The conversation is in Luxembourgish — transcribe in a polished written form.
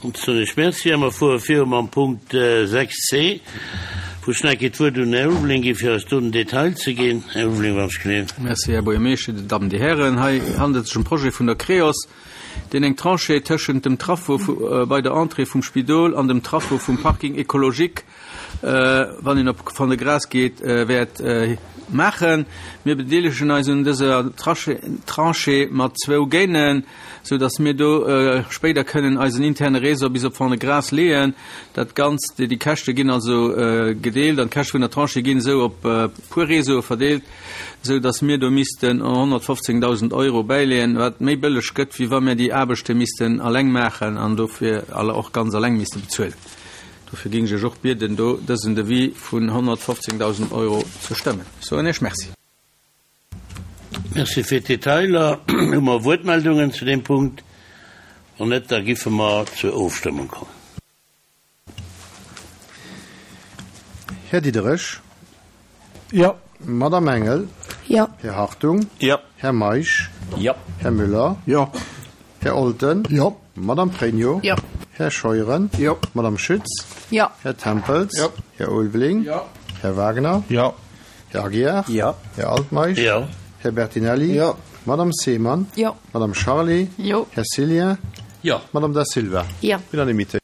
Dann soen ech Merci a mer fuere viru mam Punkt 6 c, wou ech nach eng Kéier d'Wuert un den Här Ulveling gi fir eis do den Detail ze ginn. Här Ulveling, wann ech gleef. Merci, Här Buergermeeschter, Dir Dammen, Dir Hären. Hei handelt et sech ëm Projet vun der Creos, deen eng Tranchée tëschent dem Traffo bei der Entrée vum Spidol an dem Traffo vum Parking écologique, wann een op Fond-de-Gras geet, wäert maachen. Mir bedeelegen eis un dëser Tranchée mat zwou Gainen, sou datt mir do spéider kënnen eisen interne Réseau bis op Fond-de-Gras leeën. Dat Ganzt, déi Käschte ginn also gedeelt an d'Käschte vun der Tranchée ginn esou op puer Réseaue verdeelt, sou datt mir do missten 115.000 Euro bäileeën, wat méi bëlleg gëtt, wéi wa mir déi Aarbechte missten alleng maachen an dofir och ganz alleng misste bezuelen. Dofir géing ech Iech och bieden, do dësen Devis vun 115.000 Euro ze stëmmen. Ech soen Iech Merci. Merci fir d'Detailer. Hu mer Wuertmeldungen zu deem Punkt? Wann net, da giffe mer zur Ofstëmmung kommen. Här Diderich. Jo. Madamm Engel. Jo. Här Hartung. Jo. Här Meisch. Jo. Här Müller. Jo. Här Olten. Jo. Madamm Pregno. Jo. Här Scheuren. Jo. Madamm Schütz. Jo. Här Tempels. Jo. Här Ulveling. Jo. Här Wagner. Jo. Här Aguiar. Jo. Här Altmeisch. Jo. Här Bertinelli. Jo. Madamm Seemann. Jo. Madamm Charlé. Jo. Här Cillien. Jo. Madamm Da Silva. Jo. Unanimité.